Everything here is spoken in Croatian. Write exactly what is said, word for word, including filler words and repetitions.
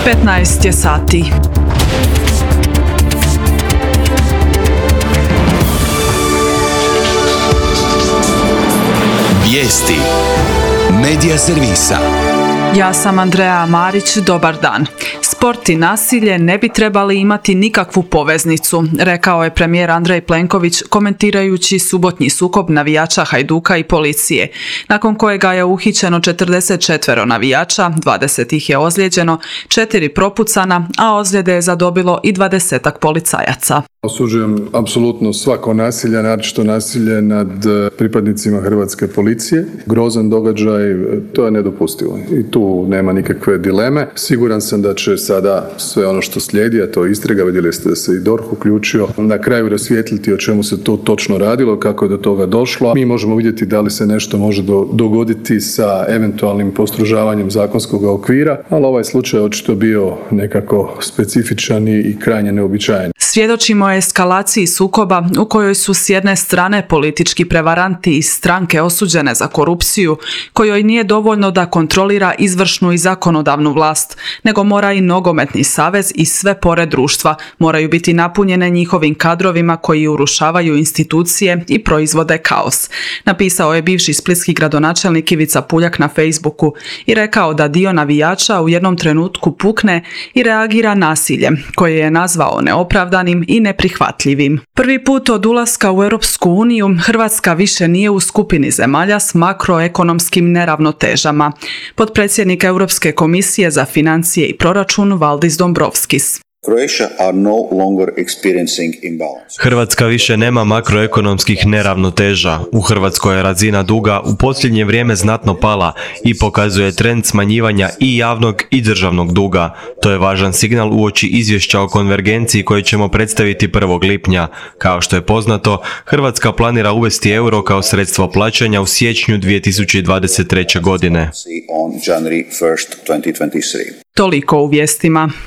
petnaest je sati. Vijesti Medija servisa. Ja sam Andreja Marić, dobar dan. Sport i nasilje ne bi trebali imati nikakvu poveznicu, rekao je premijer Andrej Plenković komentirajući subotnji sukob navijača Hajduka i policije, nakon kojega je uhićeno četrdeset četiri navijača, dvadeset ih je ozlijeđeno, četiri propucana, a ozljede je zadobilo i dvadesetak policajaca. Osuđujem apsolutno svako nasilje, naročito nasilje nad pripadnicima hrvatske policije. Grozan događaj, to je nedopustivo i tu nema nikakve dileme. Siguran sam da će sada sve ono što slijedi, a to je istraga, vidjeli ste da se i D O R H uključio, na kraju rasvijetliti o čemu se to točno radilo, kako je do toga došlo. Mi možemo vidjeti da li se nešto može do, dogoditi sa eventualnim postrožavanjem zakonskog okvira, ali ovaj slučaj je očito bio nekako specifičan i krajnje neuobičajen. Svjedočimo o eskalaciji sukoba u kojoj su s jedne strane politički prevaranti iz stranke osuđene za korupciju, kojoj nije dovoljno da kontrolira izvršnu i zakonodavnu vlast, nego mora i nogometni savez i sve pore društva moraju biti napunjene njihovim kadrovima koji urušavaju institucije i proizvode kaos. Napisao je bivši splitski gradonačelnik Ivica Puljak na Facebooku i rekao da dio navijača u jednom trenutku pukne i reagira nasiljem, koje je nazvao neopravdanim i neprihvatljivim. Prvi put od ulaska u Europsku uniju Hrvatska više nije u skupini zemalja s makroekonomskim neravnotežama. Potpredsjednik Europske komisije za financije i proračun Valdis Dombrovskis. Hrvatska više nema makroekonomskih neravnoteža. U Hrvatskoj je razina duga u posljednje vrijeme znatno pala i pokazuje trend smanjivanja i javnog i državnog duga. To je važan signal uoči izvješća o konvergenciji koje ćemo predstaviti prvog lipnja. Kao što je poznato, Hrvatska planira uvesti euro kao sredstvo plaćanja u siječnju dvije tisuće dvadeset treće. godine. Toliko u vijestima.